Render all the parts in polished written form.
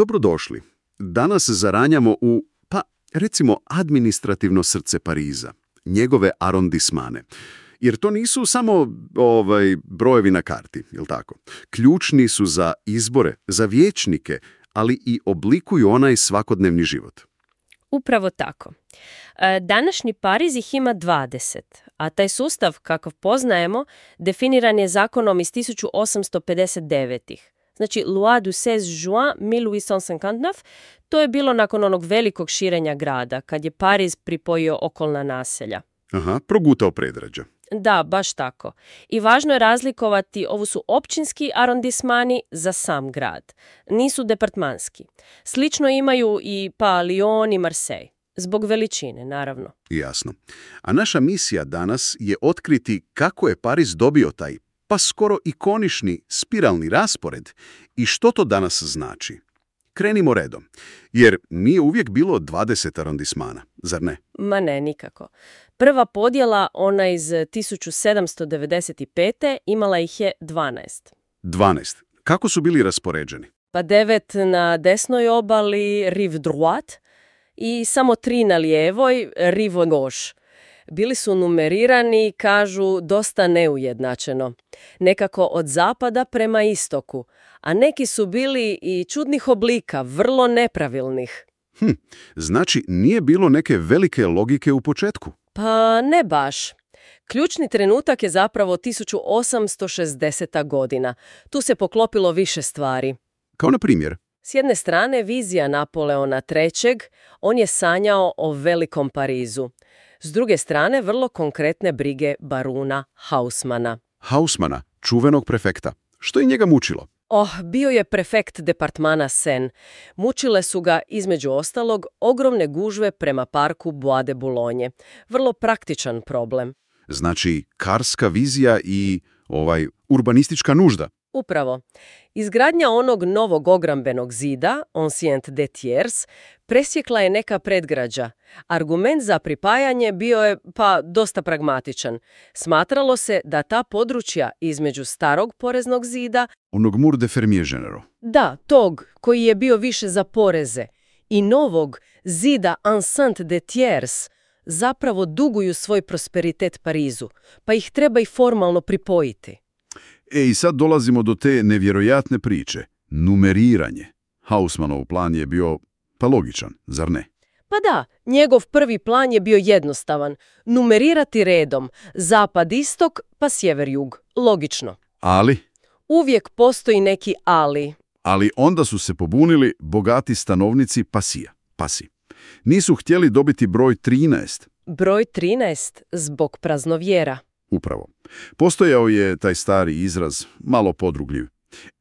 Dobrodošli. Danas zaranjamo u, recimo, administrativno srce Pariza, njegove arondismane. Jer to nisu samo brojevi na karti, jel tako? Ključni su za izbore, za vijećnike, ali i oblikuju onaj svakodnevni život. Upravo tako. Današnji Pariz ih ima 20, a taj sustav, kakav poznajemo, definiran je zakonom iz 1859. Znači, Loi du 16 juin 1859, to je bilo nakon onog velikog širenja grada, kad je Pariz pripojio okolna naselja. Aha, progutao predgrađa. Da, baš tako. I važno je razlikovati, ovo su općinski arondismani za sam grad. Nisu departmanski. Slično imaju i Lyon i Marseille. Zbog veličine, naravno. Jasno. A naša misija danas je otkriti kako je Pariz dobio taj, skoro ikonični spiralni raspored i što to danas znači. Krenimo redom, jer nije uvijek bilo 20 arondismana, zar ne? Ma ne, nikako. Prva podjela, ona iz 1795. imala ih je 12. 12. Kako su bili raspoređeni? 9 na desnoj obali, rive droite, i samo 3 na lijevoj, rive gauche. Bili su numerirani, kažu, dosta neujednačeno. Nekako od zapada prema istoku, a neki su bili i čudnih oblika, vrlo nepravilnih. Znači, nije bilo neke velike logike u početku? Pa ne baš. Ključni trenutak je zapravo 1860. godina. Tu se poklopilo više stvari. Kao na primjer? S jedne strane, vizija Napoleona III. On je sanjao o velikom Parizu. S druge strane, vrlo konkretne brige baruna Haussmana. Haussmana, čuvenog prefekta. Što je njega mučilo? Bio je prefekt departmana Seine. Mučile su ga, između ostalog, ogromne gužve prema parku Bois de Boulogne. Vrlo praktičan problem. Znači, karska vizija i urbanistička nužda. Upravo. Izgradnja onog novog ogrambenog zida, Ancien des Tiers, presjekla je neka predgrađa. Argument za pripajanje bio je, dosta pragmatičan. Smatralo se da ta područja između starog poreznog zida, onog Mur de Fermier General. Da, tog koji je bio više za poreze, i novog zida Ancien des Tiers, zapravo duguju svoj prosperitet Parizu, pa ih treba i formalno pripojiti. I sad dolazimo do te nevjerojatne priče. Numeriranje. Haussmanov plan je bio, logičan, zar ne? Pa da, njegov prvi plan je bio jednostavan. Numerirati redom. Zapad-istok, pa sjever-jug. Logično. Ali? Uvijek postoji neki ali. Ali onda su se pobunili bogati stanovnici Pasi. Nisu htjeli dobiti broj 13. Broj 13 zbog praznovjera. Upravo. Postojao je taj stari izraz, malo podrugljiv.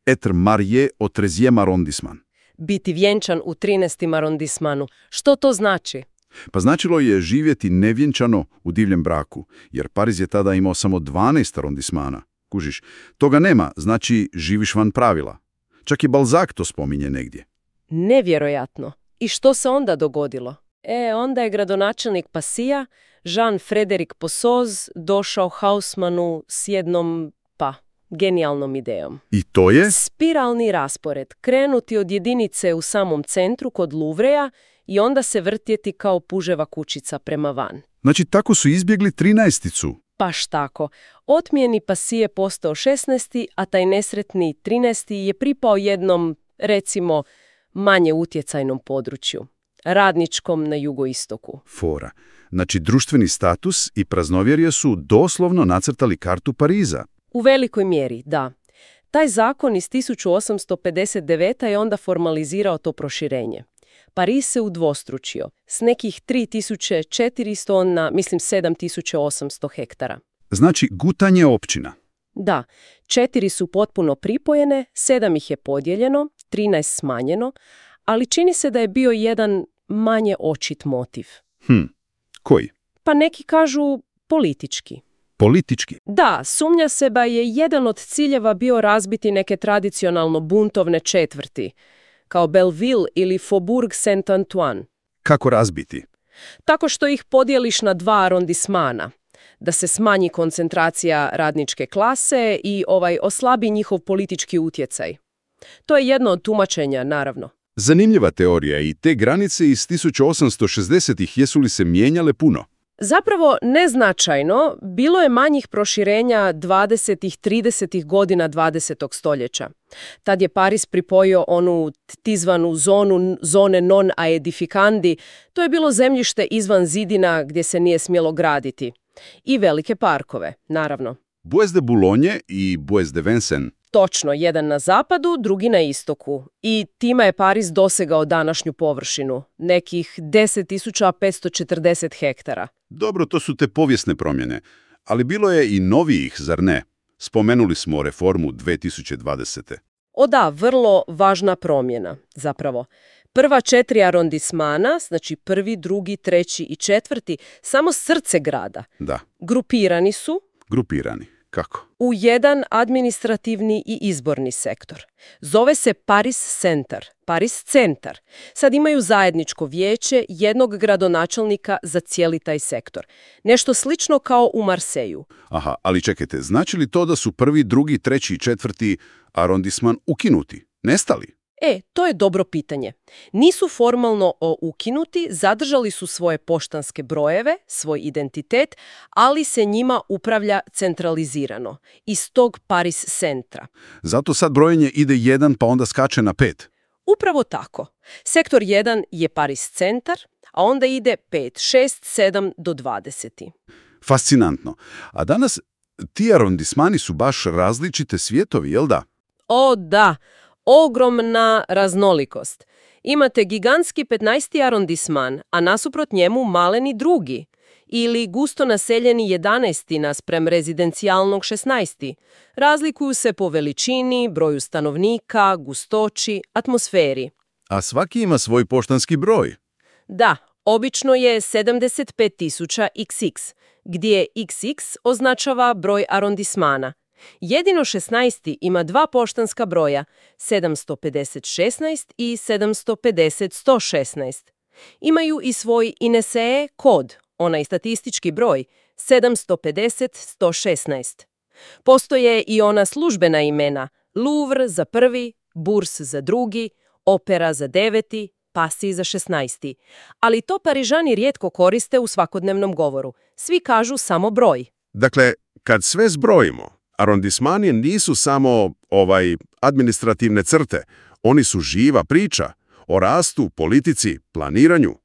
Être marié au 13e arrondissement. Biti vjenčan u 13. arondismanu. Što to znači? Pa značilo je živjeti nevjenčano u divljem braku, jer Pariz je tada imao samo 12 arondismana. Kužiš, toga nema, znači živiš van pravila. Čak i Balzac to spominje negdje. Nevjerojatno. I što se onda dogodilo? Onda je gradonačelnik Passija, Jean-Frédéric Possoz, došao Haussmanu s jednom, genijalnom idejom. I to je? Spiralni raspored. Krenuti od jedinice u samom centru kod Louvrea i onda se vrtjeti kao puževa kućica prema van. Znači, tako su izbjegli 13-icu. Baš tako. Otmijeni Passy je postao 16. a taj nesretni 13. je pripao jednom, recimo, manje utjecajnom području. Radničkom na jugoistoku. Fora. Znači, društveni status i praznovjerje su doslovno nacrtali kartu Pariza. U velikoj mjeri, da. Taj zakon iz 1859. je onda formalizirao to proširenje. Pariz se udvostručio s nekih 3400 na, 7800 hektara. Znači, gutanje općina. Da, 4 su potpuno pripojene, 7 ih je podijeljeno, 13 smanjeno, ali čini se da je bio jedan manje očit motiv. Koji? Pa neki kažu politički. Politički? Da, sumnja se da je jedan od ciljeva bio razbiti neke tradicionalno buntovne četvrti, kao Belleville ili Faubourg Saint-Antoine. Kako razbiti? Tako što ih podijeliš na 2 arondismana, da se smanji koncentracija radničke klase i oslabi njihov politički utjecaj. To je jedno od tumačenja, naravno. Zanimljiva teorija i te granice iz 1860-ih jesu li se mijenjale puno? Zapravo neznačajno, bilo je manjih proširenja 20. 30. godina 20. stoljeća. Tad je Pariz pripojio onu tizvanu zone non aedificandi, to je bilo zemljište izvan zidina gdje se nije smjelo graditi. I velike parkove, naravno. Bois de Boulogne i Bois de Vincennes. Točno, jedan na zapadu, drugi na istoku. I time je Pariz dosegao današnju površinu, nekih 10.540 hektara. Dobro, to su te povijesne promjene, ali bilo je i novijih, zar ne? Spomenuli smo reformu 2020. O da, vrlo važna promjena, zapravo. Prva 4 arondismana, znači 1., 2., 3. i 4., samo srce grada. Da. Grupirani su Grupirani. Kako? u jedan administrativni i izborni sektor. Zove se Paris Centar, Paris Centar. Sad imaju zajedničko vijeće, jednog gradonačelnika za cijeli taj sektor. Nešto slično kao u Marseju. Aha, ali čekajte, znači li to da su 1., 2., 3. i 4. arondisman ukinuti? Nestali? To je dobro pitanje. Nisu formalno ukinuti, zadržali su svoje poštanske brojeve, svoj identitet, ali se njima upravlja centralizirano, iz tog Paris centra. Zato sad brojenje ide 1 pa onda skače na 5. Upravo tako. Sektor 1 je Paris centar, a onda ide 5, 6, 7 do 20. Fascinantno. A danas ti arondismani su baš različite svijetovi, jel da? O da, ogromna raznolikost. Imate gigantski 15. arondisman, a nasuprot njemu maleni 2. ili gusto naseljeni 11. naspram rezidencijalnog 16. Razlikuju se po veličini, broju stanovnika, gustoći, atmosferi. A svaki ima svoj poštanski broj. Da, obično je 75.000 XX, gdje XX označava broj arondismana. Jedino 16. ima 2 poštanska broja, 750-16 i 750-116. Imaju i svoj INSEE kod, onaj statistički broj, 750-116. Postoje i ona službena imena, Louvre za 1., Bourse za 2., Opera za 9., Passy za 16. Ali to Parižani rijetko koriste u svakodnevnom govoru. Svi kažu samo broj. Dakle, kad sve zbrojimo, arondismani nisu samo administrativne crte, oni su živa priča o rastu, politici, planiranju.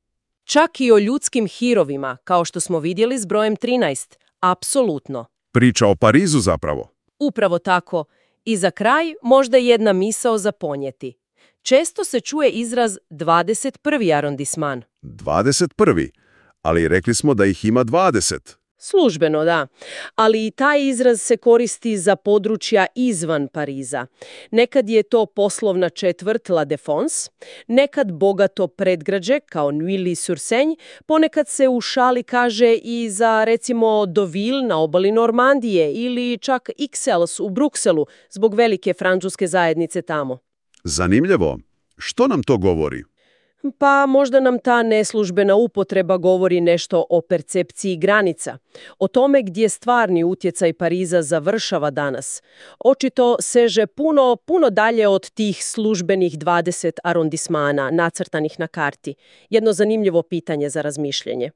Čak i o ljudskim hirovima, kao što smo vidjeli s brojem 13. Apsolutno. Priča o Parizu zapravo. Upravo tako. I za kraj možda jedna misao za ponijeti. Često se čuje izraz 21. arondisman. 21. Ali rekli smo da ih ima 20. Službeno, da. Ali i taj izraz se koristi za područja izvan Pariza. Nekad je to poslovna četvrt La Défense, nekad bogato predgrađe kao Neuilly-sur-Seine, ponekad se u šali kaže i za recimo Deauville na obali Normandije ili čak Ixelles u Brukselu zbog velike francuske zajednice tamo. Zanimljivo. Što nam to govori? Pa možda nam ta neslužbena upotreba govori nešto o percepciji granica, o tome gdje stvarni utjecaj Pariza završava danas. Očito seže puno dalje od tih službenih 20 arondismana nacrtanih na karti. Jedno zanimljivo pitanje za razmišljanje.